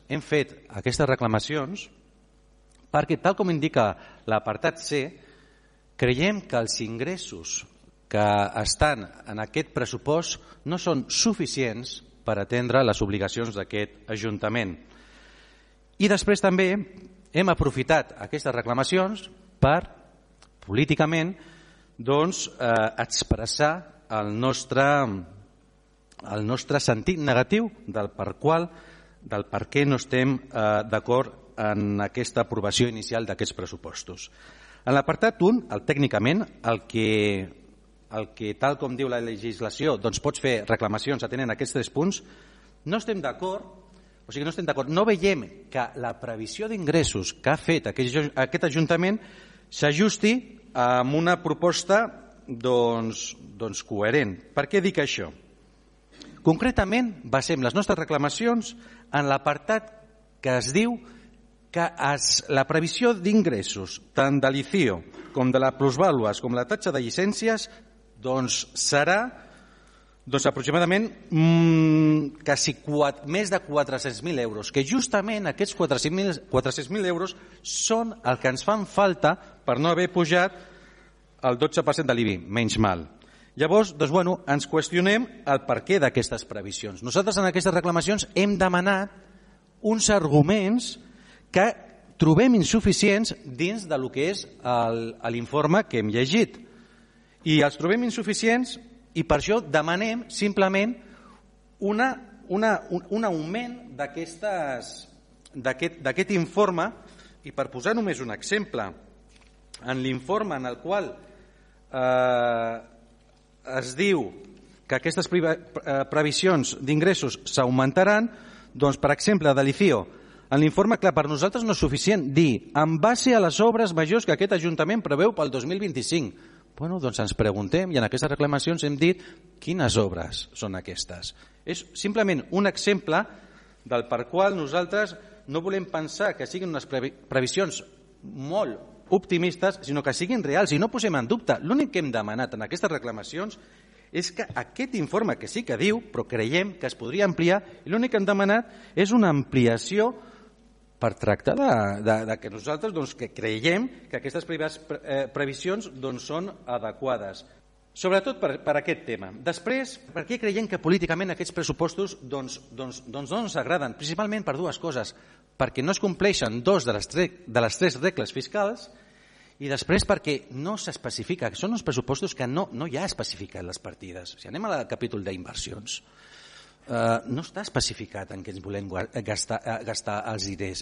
hem fet aquestes reclamacions perquè, tal com indica l'apartat C, creiem que els ingressos que estan en aquest pressupost no són suficients per atendre les obligacions d'aquest Ajuntament. I després també hem aprofitat aquestes reclamacions per, políticament, expressar el nostre sentit negatiu del per què no estem d'acord en aquesta aprovació inicial d'aquests pressupostos. En l'apartat 1, tècnicament, el que tal com diu la legislació, pots fer reclamacions atenent aquests 3 punts, no estem d'acord, no veiem que la previsió d'ingressos que ha fet aquest Ajuntament s'ajusti amb una proposta coherent. Per què dic això? Concretament, basem les nostres reclamacions en l'apartat que es diu que la previsió d'ingressos, tant de l'ICIO com de la plusvàlues com la taxa de llicències, serà aproximadament quasi més de 400.000 euros, que justament aquests 400.000 euros són el que ens fan falta per no haver pujat el 12% de l'IBI, menys mal. Llavors, ens qüestionem el perquè d'aquestes previsions. Nosaltres en aquestes reclamacions hem demanat uns arguments que trobem insuficients dins del que és l'informe que hem llegit. I els trobem insuficients i per això demanem simplement un augment d'aquest informe. I per posar només un exemple, en l'informe en el qual es diu que aquestes previsions d'ingressos s'augmentaran, per exemple, de l'ICIO, en l'informe, clar, per nosaltres no és suficient dir en base a les obres majors que aquest Ajuntament preveu pel 2025. Ens preguntem i en aquestes reclamacions hem dit quines obres són aquestes. És simplement un exemple del per qual nosaltres no volem pensar que siguin unes previsions molt optimistes, sinó que siguin reals i no posem en dubte. L'únic que hem demanat en aquestes reclamacions és que aquest informe, que sí que diu, però creiem que es podria ampliar, i l'únic que hem demanat és una ampliació per tractar que nosaltres que creiem que aquestes previsions són adequades. Sobretot per aquest tema. Després, per què creiem que políticament aquests pressupostos no ens agraden? Principalment per 2 coses. Perquè no es compleixen 2 de les 3 regles fiscals i després perquè no s'especifica. Són uns pressupostos que no hi ha especificat les partides. Si anem al capítol d'inversions, no està especificat en què ens volem gastar els diners.